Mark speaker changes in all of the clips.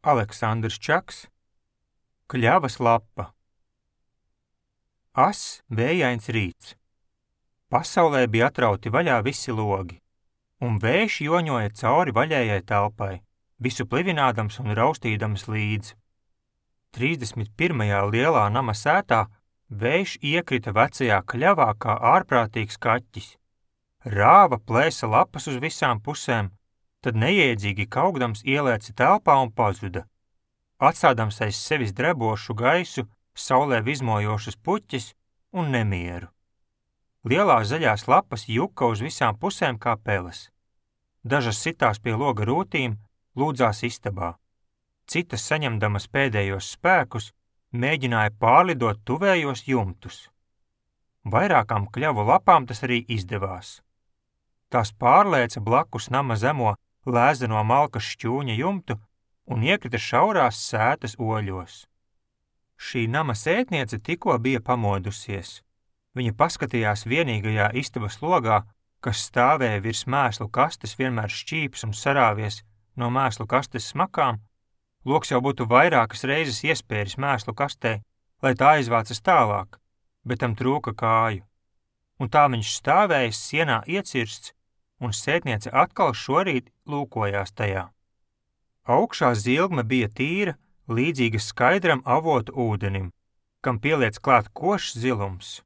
Speaker 1: Aleksandrs Čaks, Kļavas lapa. Ass, vējains rīts. Pasaulē bija atrauti vaļā visi logi, un vējš joņoja cauri vaļējai telpai, visu plivinādams un raustīdams līdzi. 31. lielā nama sētā vējš iekrita vecajā kļavā kā ārprātīgs kaķis. Rāva, plēsa lapas uz visām pusēm, tad neiedzīgi kaugdams ielēca telpā un pazuda. Atstādams aiz sevis drebošu gaisu, saulē vizmojošas puķes un nemieru. Lielās zaļās lapas juka uz visām pusēm kā peles. Dažas sitās pie loga rūtīm, lūdzās istabā. Citas, saņemdamas pēdējos spēkus, mēģināja pārlidot tuvējos jumtus. Vairākām kļavu lapām tas arī izdevās. Tās pārlēca blakus nama zemo lēzeno malkas šķūņa jumtu un iekrita šaurās sētas oļos. Šī nama sētniece tikko bija pamodusies. Viņa paskatījās vienīgajā istabas logā, kas stāvēja virs mēslu kastes, vienmēr šķīps un sarāvies no mēslu kastes smakām. Loks jau būtu vairākas reizes iespēris mēslu kastē, lai tā aizvācas tālāk, bet tam trūka kāju. Un tā viņš stāvējis sienā iecirsts, un sētniece atkal šorīt lūkojās tajā. Augšā zilgme bija tīra, līdzīga skaidram avotu ūdenim, kam pieliec klāt košs zilums.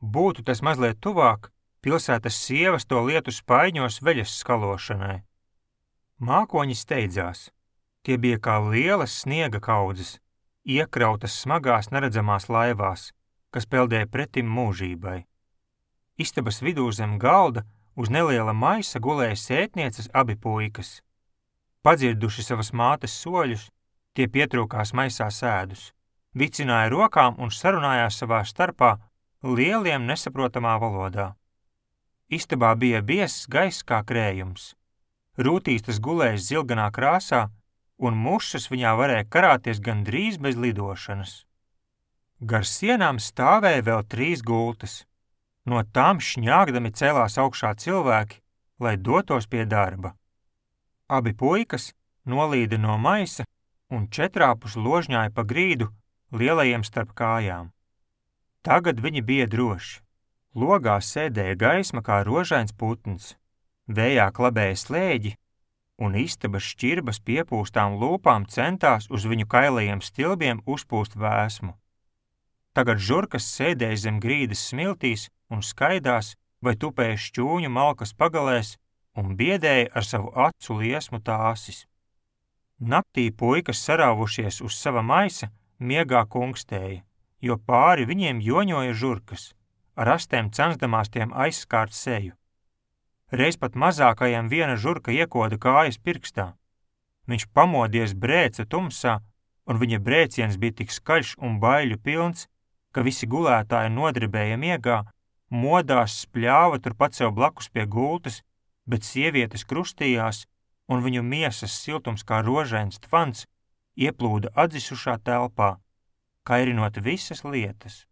Speaker 1: Būtu tas mazliet tuvāk, pilsētas sievas to lietu spaiņos veļas skalošanai. Mākoņi steidzās. Tie bija kā lielas sniega kaudzes, iekrautas smagās neredzamās laivās, kas peldēja pretim mūžībai. Istabas vidū zem galda uz neliela maisa gulēja sētnieces abi puikas. Padzirduši savas mātes soļus, tie pietrūkās maisā sēdus, vicināja rokām un sarunājās savā starpā lieliem nesaprotamā valodā. Istabā bija biezs gaiss kā krējums. Rūtīs tas gulējis zilganā krāsā, un mušas viņā varēja karāties gandrīz bez lidošanas. Gar sienām stāvēja vēl 3 gultas. No tām šņāgdami cēlās augšā cilvēki, lai dotos pie darba. Abi puikas nolīda no maisa un četrāpus ložņāja pa grīdu lielajiem starp kājām. Tagad viņi bija droši. Logā sēdēja gaisma kā rožains putns, vējā klabēja slēģi, un istabas šķirbas piepūstām lūpām centās uz viņu kailajiem stilbiem uzpūst vēsmu. Tagad žurkas sēdēja zem grīdas smiltīs un skaidās vai tupēja šķūņu malkas pagalēs un biedēja ar savu acu liesmu tāsis. Naktī puikas sarāvušies uz sava maisa miegā kungstēja, jo pāri viņiem joņoja žurkas, ar astēm censdamās tiem aizskārt seju. Reiz pat mazākajam viena žurka iekoda kājas pirkstā. Viņš pamodies brēca tumsā, un viņa brēciens bija tik skaļš un baiļu pilns, ka visi gulētāji nodribēja miegā, modās spļāva turpat sev blakus pie gultas, bet sievietes krustījās, un viņu miesas siltums kā rožains tvans ieplūda atzisušā telpā, kairinot visas lietas.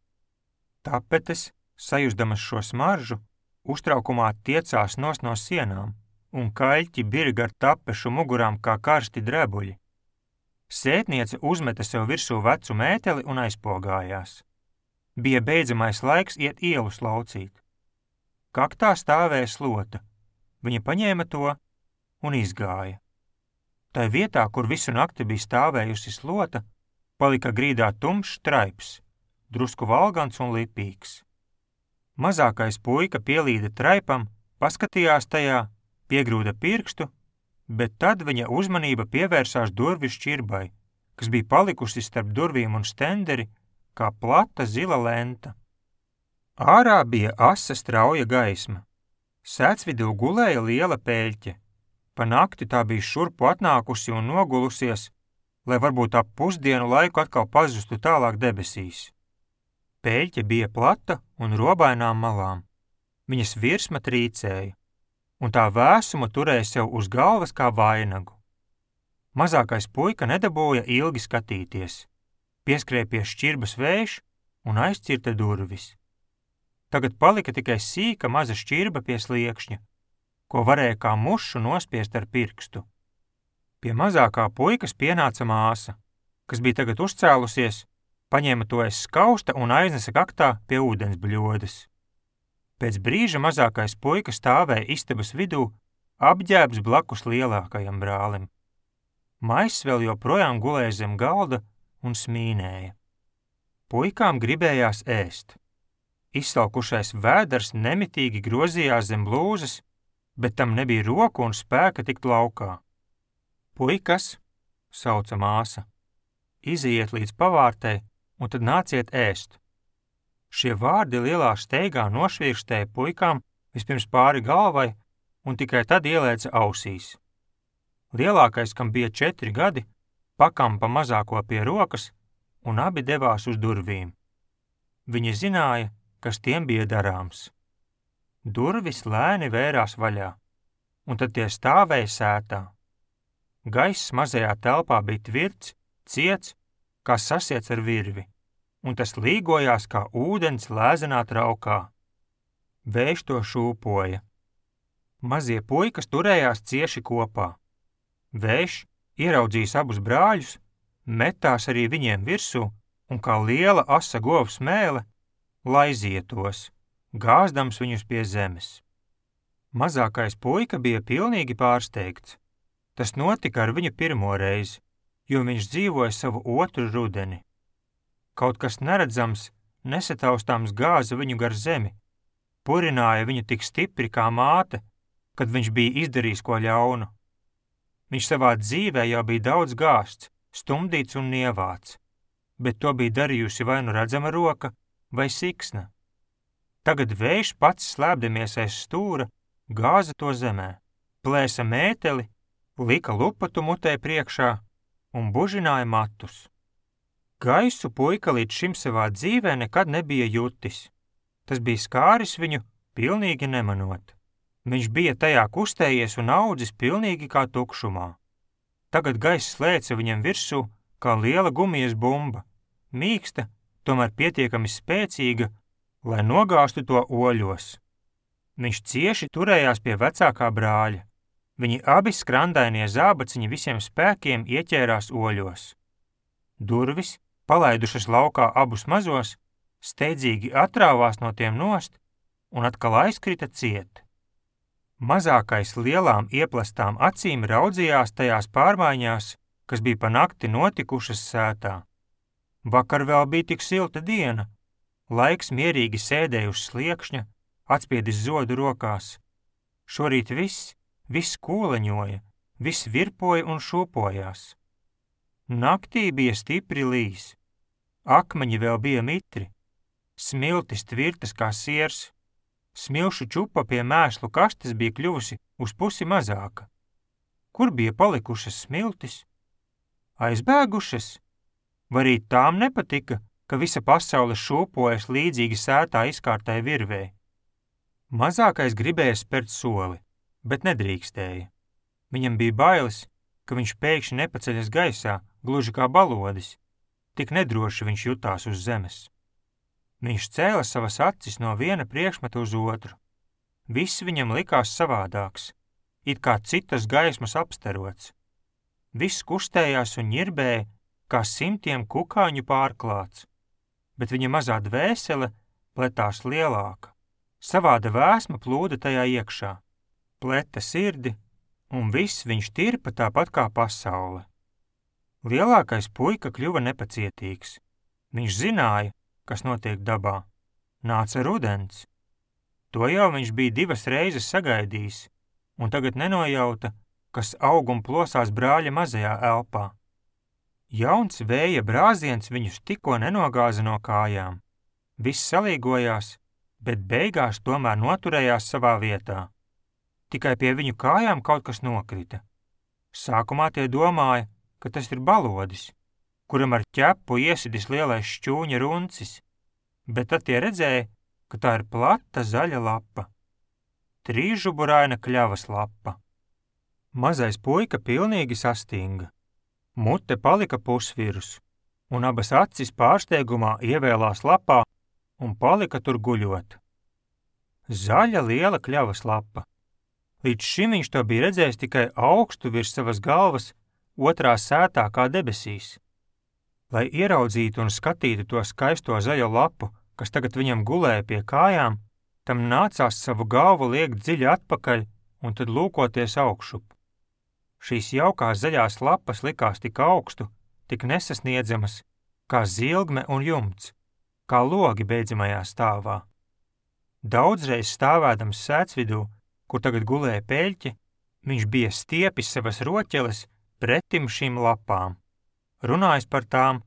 Speaker 1: Tapetes, sajusdamas šo smaržu, uztraukumā tiecās nos no sienām, un kaļķi birga ar tapešu mugurām kā karsti drebuļi. Sētniece uzmeta sev virsū vecu mēteli un aizpogājās. Bija beidzamais laiks iet ielu slaucīt. Kaktā stāvēja slota. Viņa paņēma to un izgāja. Tai vietā, kur visu nakti bija stāvējusi slota, palika grīdā tumšs traips, drusku valgants un lipīgs. Mazākais puika pielīda traipam, paskatījās tajā, piegrūda pirkstu, bet tad viņa uzmanība pievērsās durvju šķirbai, kas bija palikusi starp durvīm un stenderi, kā plata zila lenta. Ārā bija asa strauja gaisma. Sētsvidū gulēja liela pēļķe. Pa nakti tā bija šurpu atnākusi un nogulusies, lai varbūt ap pusdienu laiku atkal pazustu tālāk debesīs. Pēļķe bija plata un robainām malām. Viņas virsma trīcēja, un tā vēsuma turēja sev uz galvas kā vainagu. Mazākais puika nedabūja ilgi skatīties. Pieskrēja pie šķirbas vējš un aizcirta durvis. Tagad palika tikai sīka maza šķirba pie sliekšņa, ko varēja kā mušu nospiest ar pirkstu. Pie mazākā puikas pienāca māsa, kas bija tagad uzcēlusies, paņēma to aiz skausta un aiznesa kaktā pie ūdens bļodas. Pēc brīža mazākais puika stāvēja istabas vidū, apģērbs blakus lielākajam brālim. Maiss vēl joprojām gulēja zem galda un smīnēja. Puikām gribējās ēst. Izsalkušais vēders nemitīgi grozījās zem blūzas, bet tam nebija roku un spēka tikt laukā. Puikas, sauca māsa, iziet līdz pavārtei un tad nāciet ēst. Šie vārdi lielā steigā nošvirkstēja puikām vispirms pāri galvai un tikai tad ielēca ausīs. Lielākais, kam bija 4 gadi, pakampa mazāko pie rokas un abi devās uz durvīm. Viņi zināja, kas tiem bija darāms. Durvis lēni vērās vaļā, un tad tie stāvēja sētā. Gaiss mazajā telpā bija tvirts, ciets, kā sasiets ar virvi, un tas līgojās kā ūdens lēzenā traukā. Vējš to šūpoja. Mazie puikas turējās cieši kopā. Vējš, ieraudzījis abus brāļus, metās arī viņiem virsū un kā liela asa govs mēle laizīja tos, gāzdams viņus pie zemes. Mazākais puika bija pilnīgi pārsteigts. Tas notika ar viņu pirmo reizi, jo viņš dzīvoja savu otru rudeni. Kaut kas neredzams, nesataustāms gāza viņu gar zemi, purināja viņu tik stipri kā māte, kad viņš bija izdarījis ko ļaunu. Viņš savā dzīvē jau bija daudz gāzts, stumdīts un nievāts, bet to bija darījusi vai nu redzama roka vai siksna. Tagad vējš pats slēpdamies aiz stūra, gāza to zemē, plēsa mēteli, lika lupatu mutē priekšā un bužināja matus. Gaisu puika līdz šim savā dzīvē nekad nebija jutis. Tas bija skāris viņu pilnīgi nemanot. Viņš bija tajā kustējies un audzis pilnīgi kā tukšumā. Tagad gaiss slēca viņam virsū kā liela gumijas bumba, mīksta, tomēr pietiekami spēcīga, lai nogāstu to oļos. Viņš cieši turējās pie vecākā brāļa. Viņi abi skrandainie zābaciņi visiem spēkiem ieķērās oļos. Durvis, palaidušas laukā abus mazos, steidzīgi atrāvās no tiem nost un atkal aizkrita ciet. Mazākais lielām ieplastām acīm raudzījās tajās pārmaiņās, kas bija pa nakti notikušas sētā. Vakar vēl bija tik silta diena. Laiks mierīgi sēdēja uz sliekšņa, atspiedis zodu rokās. Šorīt viss kūleņoja, viss virpoja un šūpojās. Naktī bija stipri līs. Akmeņi vēl bija mitri, smiltis tvirtas kā siers. Smilšu čupa pie mēslu kastes bija kļuvusi uz pusi mazāka. Kur bija palikušas smiltis? Aizbēgušas? Vai arī tām nepatika, ka visa pasaule šūpojas līdzīgi sētā izkārtai virvei? Mazākais gribēja spērt soli, bet nedrīkstēja. Viņam bija bailes, ka viņš pēkšņi nepaceļas gaisā, gluži kā balodis. Tik nedroši viņš jutās uz zemes. Viņš cēla savas acis no viena priekšmeta uz otru. Viss viņam likās savādāks, it kā citas gaismas apstarots. Viss kustējās un ņirbēja, kā simtiem kukaiņu pārklāts, bet viņa mazā dvēsele pletās lielāka. Savāda vēsma plūda tajā iekšā, pleta sirdi, un viss viņš tirpa tāpat kā pasaule. Lielākais puika kļuva nepacietīgs. Viņš zināja, kas notiek dabā. Nāca rudens. To jau viņš bija 2 reizes sagaidījis, un tagad nenojauta, kas aug un plosās brāļa mazajā elpā. Jauns vēja brāziens viņus tikko nenogāza no kājām. Viss salīgojās, bet beigās tomēr noturējās savā vietā. Tikai pie viņu kājām kaut kas nokrita. Sākumā tie domāja, ka tas ir balodis, kuram ar ķepu iesidis lielais šķūņa runcis, bet tad tie redzēja, ka tā ir plata zaļa lapa. Trīsžuburaina kļavas lapa. Mazais puika pilnīgi sastinga. Mute palika pusvirus, un abas acis pārsteigumā ievēlās lapā un palika tur guļot. Zaļa liela kļavas lapa. Līdz šim viņš to bija redzējis tikai augstu virs savas galvas otrā sētā kā debesīs. Lai ieraudzītu un skatītu to skaisto zaļo lapu, kas tagad viņam gulēja pie kājām, tam nācās savu galvu liekt dziļi atpakaļ un tad lūkoties augšup. Šīs jaukās zaļās lapas likās tik augstu, tik nesasniedzamas, kā zilgme un jumts, kā logi beidzamajā stāvā. Daudzreiz stāvēdams sētsvidū, kur tagad gulēja peļķe, viņš bija stiepis savas roķeles pretim šīm lapām, runājis par tām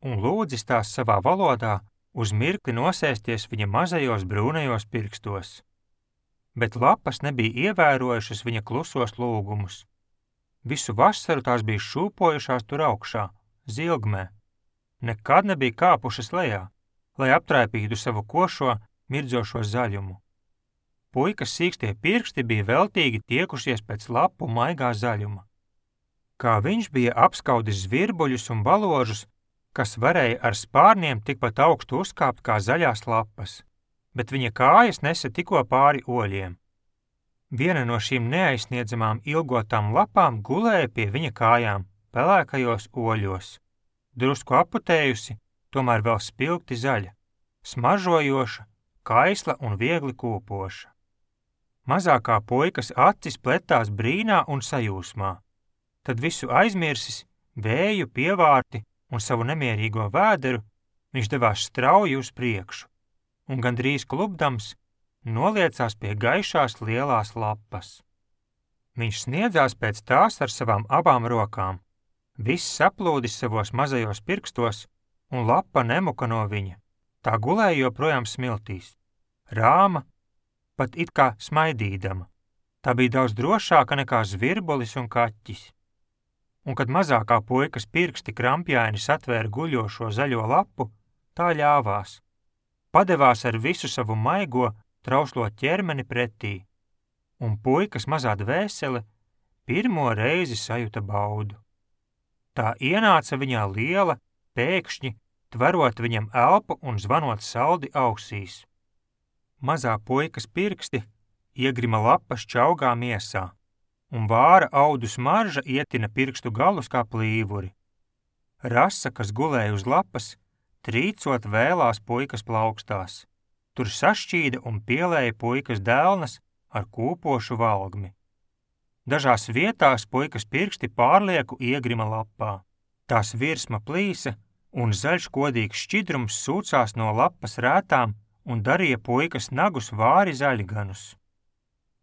Speaker 1: un lūdzis tās savā valodā uz mirkli nosēsties viņa mazajos brūnajos pirkstos. Bet lapas nebija ievērojušas viņa klusos lūgumus. Visu vasaru tās bija šūpojušās tur augšā, zilgmē. Nekad nebija kāpušas lejā, lai aptraipītu savu košo, mirdzošo zaļumu. Puikas sīkstie pirksti bija veltīgi tiekušies pēc lapu maigā zaļuma. Kā viņš bija apskaudis zvirbuļus un baložus, kas varēja ar spārniem tikpat augstu uzkāpt kā zaļās lapas, bet viņa kājas nesa tikko pāri oļiem. Viena no šīm neaizsniedzamām ilgotām lapām gulēja pie viņa kājām, pelēkajos oļos, drusku aputējusi, tomēr vēl spilgti zaļa, smaržojoša, kaisla un viegli kūpoša. Mazākā puikas acis pletās brīnā un sajūsmā, tad visu aizmirsis, vēju, pievārti un savu nemierīgo vēderu, viņš devās strauji uz priekšu, un gandrīz klupdams noliecās pie gaišās lielās lapas. Viņš sniedzās pēc tās ar savām abām rokām, viss saplūdis savos mazajos pirkstos, un lapa nemuka no viņa. Tā gulēja joprojām smiltīs, rāma, pat it kā smaidīdama. Tā bija daudz drošāka nekā zvirbulis un kaķis. Un kad mazākā puikas pirksti krampjaini satvēra guļošo zaļo lapu, tā ļāvās. Padevās ar visu savu maigo, trauslo ķermeni pretī, un puikas mazā dvēsele pirmo reizi sajuta baudu. Tā ienāca viņā liela, pēkšņi, tverot viņam elpu un zvanot saldi ausīs. Mazā puikas pirksti iegrima lapas čaugā miesā, un vāra audu smarža ietina pirkstu galus kā plīvuri. Rasa, kas gulēja uz lapas, trīcot vēlās puikas plaukstās. Tur sašķīda un pielēja puikas dēlnas ar kūpošu valgmi. Dažās vietās puikas pirksti pārlieku iegrima lapā. Tās virsma plīsa un zaļš kodīgs šķidrums sūcās no lapas rētām un darīja puikas nagus vāri zaļganus.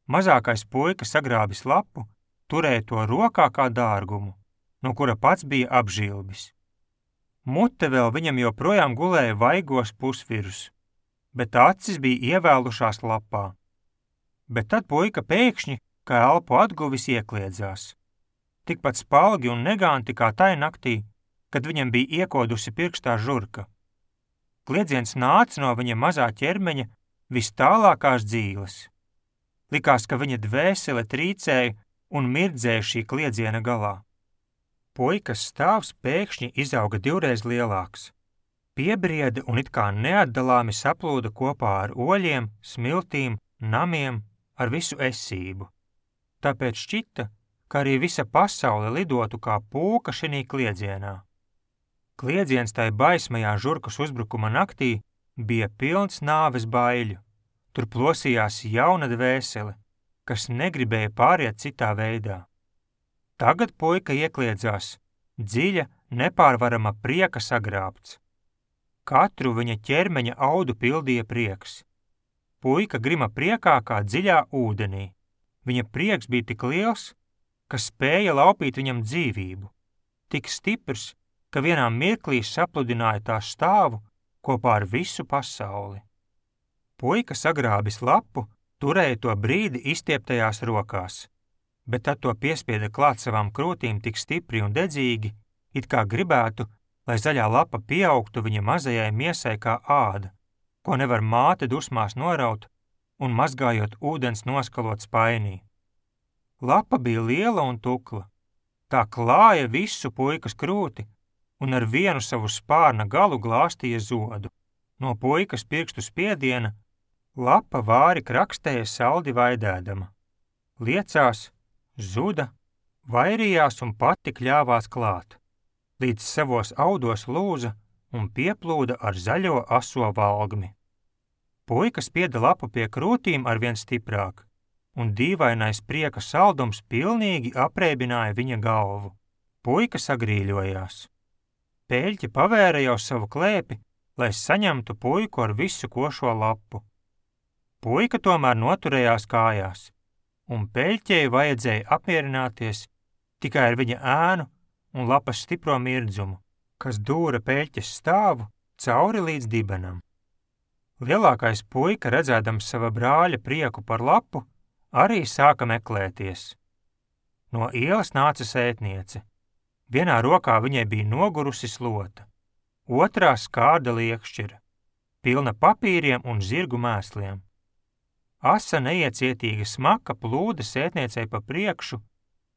Speaker 1: Mazākais puika sagrābis lapu, turēja to rokā kā dārgumu, no kura pats bija apžilbis. Mute vēl viņam joprojām gulēja vaigos pusvirus, bet acis bija ievēlušās lapā. Bet tad puika pēkšņi, kā elpu atguvis, iekliedzās. Tikpat spalgi un neganti kā tai naktī, kad viņam bija iekodusi pirkstā žurka. Kliedziens nāca no viņa mazā ķermeņa vis tālākās dzīles. Likās, ka viņa dvēsele trīcēja un mirdzēja šī kliedziena galā. Puikas stāvs pēkšņi izauga divreiz lielāks. Piebrieda un it kā neatdalāmi saplūda kopā ar oļiem, smiltīm, namiem, ar visu esību. Tāpēc šķita, ka arī visa pasaule lidotu kā pūka šinī kliedzienā. Kliedziens tai baismajā žurkas uzbrukuma naktī bija pilns nāves baiļu. Tur plosījās jauna dvēsele, kas negribēja pāriet citā veidā. Tagad puika iekliedzās, dziļa, nepārvarama prieka sagrābts. Katru viņa ķermeņa audu pildīja prieks. Puika grima priekā kā dziļā ūdenī. Viņa prieks bija tik liels, ka spēja laupīt viņam dzīvību. Tik stiprs, ka vienā mirklī sapludināja tā stāvu kopā ar visu pasauli. Puika sagrābis lapu, turēja to brīdi izstieptajās rokās, bet tad to piespieda klāt savām krūtīm tik stipri un dedzīgi, it kā gribētu, lai zaļā lapa pieaugtu viņa mazajai miesai kā āda, ko nevar māte dusmās noraut un mazgājot ūdens noskalot spainī. Lapa bija liela un tukla. Tā klāja visu puikas krūti un ar vienu savu spārna galu glāstīja zodu. No puikas pirkstu spiediena lapa vāri krakstēja saldi vaidēdama. Liecās, zuda, vairījās un pati kļāvās klāt, līdz savos audos lūza un pieplūda ar zaļo aso valgmi. Puika spieda lapu pie krūtīm arvien stiprāk, un dīvainais prieka saldums pilnīgi apreibināja viņa galvu. Puika sagrīļojās. Pēļķe pavēra jau savu klēpi, lai saņemtu puiku ar visu košo lapu. Puika tomēr noturējās kājās, un pēļķei vajadzēja apmierināties tikai ar viņa ēnu un lapas stipro mirdzumu, kas dūra pēļķes stāvu cauri līdz dibenam. Lielākais puika, redzēdams sava brāļa prieku par lapu, arī sāka meklēties. No ielas nāca sētniece. Vienā rokā viņai bija nogurusi slota, otrā skārda liekšķira, pilna papīriem un zirgu mēsliem. Asa neiecietīga smaka plūda sētniecei pa priekšu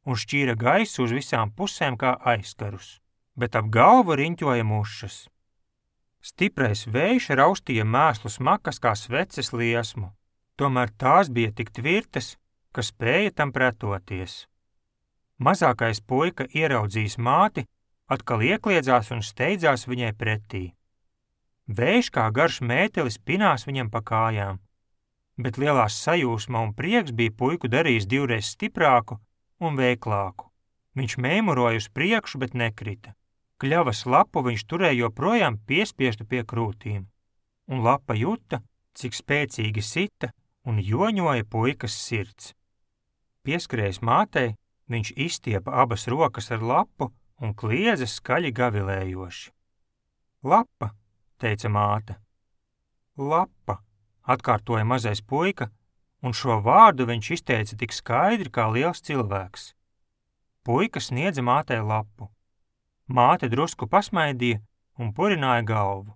Speaker 1: un šķīra gaisu uz visām pusēm kā aizkarus, bet ap galvu riņķoja mušas. Stiprais vējš raustīja mēslu smakas kā sveces liesmu, tomēr tās bija tik tvirtas, ka spēja tam pretoties. Mazākais puika ieraudzījis māti, atkal iekliedzās un steidzās viņai pretī. Vējš kā garš mētelis pinās viņam pa kājām, bet lielās sajūsma un prieks bija puiku darījis divreiz stiprāku un veiklāku. Viņš mēmuroja uz priekšu, bet nekrita. Kļavas lapu viņš turēja joprojām piespiestu pie krūtīm, un lapa juta, cik spēcīgi sita un joņoja puikas sirds. Pieskrējis mātei, viņš izstiepa abas rokas ar lapu un kliedza skaļi gavilējoši. Lapa, teica māte. Lapa, atkārtoja mazais puika, un šo vārdu viņš izteica tik skaidri kā liels cilvēks. Puika sniedza mātei lapu. Māte drusku pasmaidīja un purināja galvu.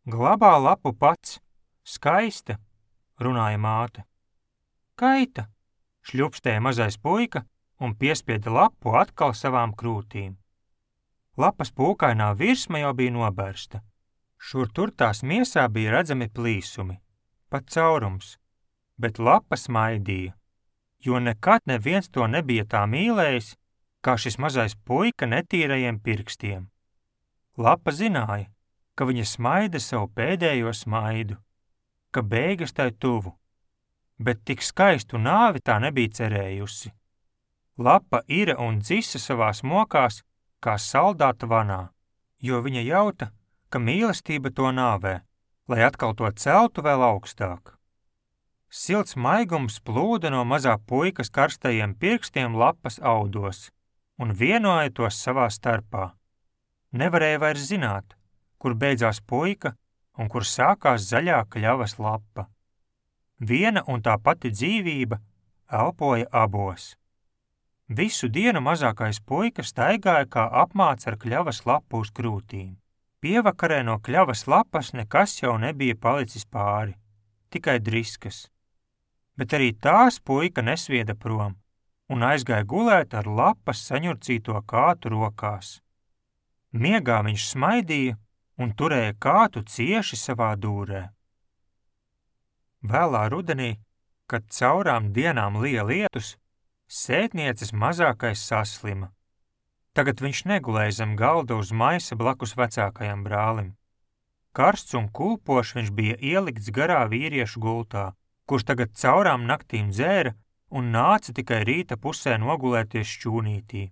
Speaker 1: Glabā lapu pats, skaista, runāja māte. Kaita, šļupstēja mazais puika un piespieda lapu atkal savām krūtīm. Lapas pūkainā virsma jau bija nobērsta. Šur tur tās miesā bija redzami plīsumi, pat caurums, bet lapa smaidīja, jo nekad neviens to nebija tā mīlējis, kā šis mazais puika netīrajiem pirkstiem. Lapa zināja, ka viņa smaida savu pēdējo smaidu, ka beigas tai tuvu, bet tik skaistu nāvi tā nebija cerējusi. Lapa ira un dzisa savās mokās, kā saldāta vanā, jo viņa jauta, ka mīlestība to nāvē, lai atkal to celtu vēl augstāk. Silts maigums plūda no mazā puikas karstajiem pirkstiem lapas audos un vienoja tos savā starpā. Nevarēja vairs zināt, kur beidzās puika un kur sākās zaļā kļavas lapa. Viena un tā pati dzīvība elpoja abos. Visu dienu mazākais puika staigāja kā apmāts ar kļavas lapu uz krūtīm. Pievakarē no kļavas lapas nekas jau nebija palicis pāri, tikai driskas. Bet arī tās puika nesvieda prom un aizgāja gulēt ar lapas saņurcīto kātu rokās. Miegā viņš smaidīja un turēja kātu cieši savā dūrē. Vēlā rudenī, kad caurām dienām lija lietus, sētnieces mazākais saslima. Tagad viņš negulēja zem galda uz maisa blakus vecākajam brālim. Karsts un kulpošs viņš bija ielikts garā vīriešu gultā, kurš tagad caurām naktīm dzēra un nāca tikai rīta pusē nogulēties šķūnītī.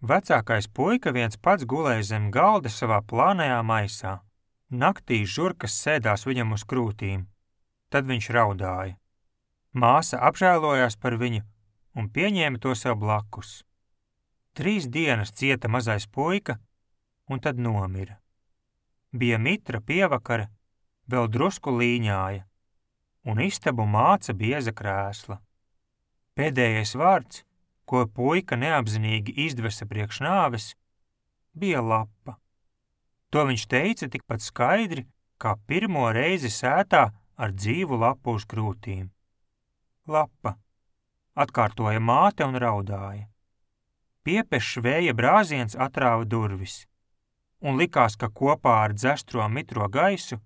Speaker 1: Vecākais puika viens pats gulēja zem galda savā plānajā maisā. Naktī žurkas sēdās viņam uz krūtīm. Tad viņš raudāja. Māsa apžēlojās par viņu un pieņēma to sev blakus. 3 dienas cieta mazais puika un tad nomira. Bija mitra pievakare, vēl drusku līņāja, un istabu māca bieza krēsla. Pēdējais vārds, ko puika neapzinīgi izdvesa priekš nāves, bija lapa. To viņš teica tikpat skaidri, kā pirmo reizi sētā ar dzīvu lapu uz krūtīm. Lapa, atkārtoja māte un raudāja. Piepešs vēja brāziens atrāva durvis, un likās, ka kopā ar dzestro mitro gaisu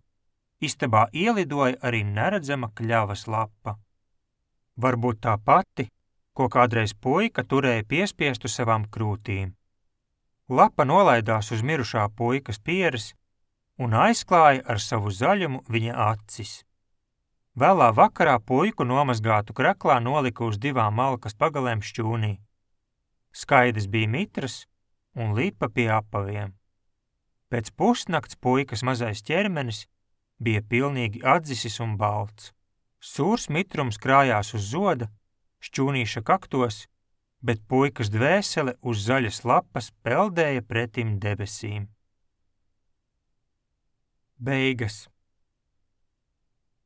Speaker 1: istabā ielidoja arī neredzama kļavas lapa. Varbūt tā pati, ko kādreiz puika turēja piespiestu savām krūtīm. Lapa nolaidās uz mirušā puikas pieres un aizklāja ar savu zaļumu viņa acis. Vēlā vakarā puiku nomazgātu kraklā nolika uz 2 malkas pagalēm šķūnī. Skaidrs bija mitrs un lipa pie apaviem. Pēc pusnakts puikas mazais ķermenis bija pilnīgi atdzisis un balts. Sūrs mitrums krājās uz zoda, šķūnīša kaktos, bet puikas dvēsele uz zaļas lapas peldēja pretim debesīm. Beigas.